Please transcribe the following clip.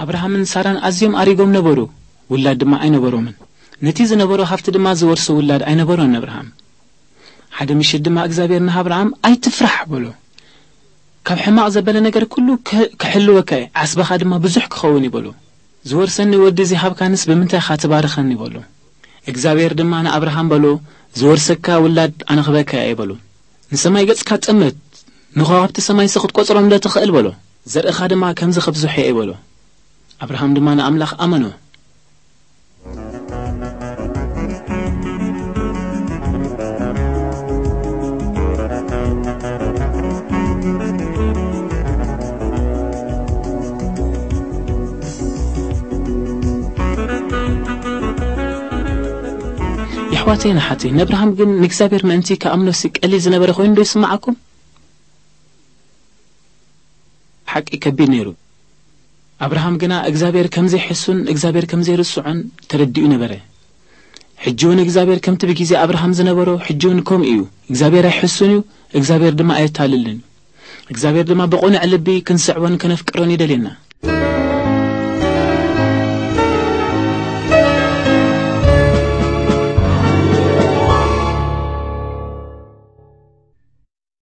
ኣብርሃምን ሳራን ኣዝዮም ኣሪጎም ነበሩ፣ ውላድ ድማ ኣይነበሮምን። ነቲ ዝነበሮ ሃብቲ ድማ ዝወርሶ ውላድ ኣይነበሮን ኣብርሃም። ሓደ ምሽት ድማ እግዚኣብሔር ንኣብርሃም ኣይትፍራሕ በሎ። ካብ ሕማቕ ዘበለ ነገር ኩሉ ከ- ክሕልወካ እየ፣ ዓስብኻ ድማ ብዙሕ ክኸውን እዩ በሎ። ዝወርሰኒ ወዲ ዘይሃብካንስ ብምንታይ ኢኻ ትባርኸኒ በሎ። እግዚኣብሔር ድማ ንኣብርሃም በሎ፣ ዝወርሰካ ውላድ ኣነ ክበካ እየ በሎ። ንሰማይ ገጽካ ጠምት፣ ንኸዋክብቲ ሰማይሲ ክትቆጽሮም ዶ ትኽእል በሎ። ዘርእኻ ድማ ከምዚ ከብዝሖ እየ በሎ። ኣብርሃም ድማ ንኣምላኽ ኣመኖ። የሕዋተይን ኣሓተይን፣ ንኣብርሃም ግን ንእግዚኣብሔር ምእንቲ ክኣምኖሲ ቀሊል ዝነበረ ኮይኑ ዶ ይስምዓኩም? ሓቂ ከቢድ ነይሩ። ኣብርሃም ግና እግዚኣብሔር ከም ዘይሕሱን እግዚኣብሔር ከም ዘይርስዖን ተረዲኡ ነበረ። ሕጂ እውን እግዚኣብሔር ከምቲ ብግዜ ኣብርሃም ዝነበሮ ሕጂ እውን ከምኡ እዩ። እግዚኣብሔር ኣይሕሱን እዩ፣ እግዚኣብሔር ድማ ኣየታልልን እዩ። እግዚኣብሔር ድማ ብቕኑዕ ልቢ ክንስዕቦን ከነፍቅሮን ይደልየና።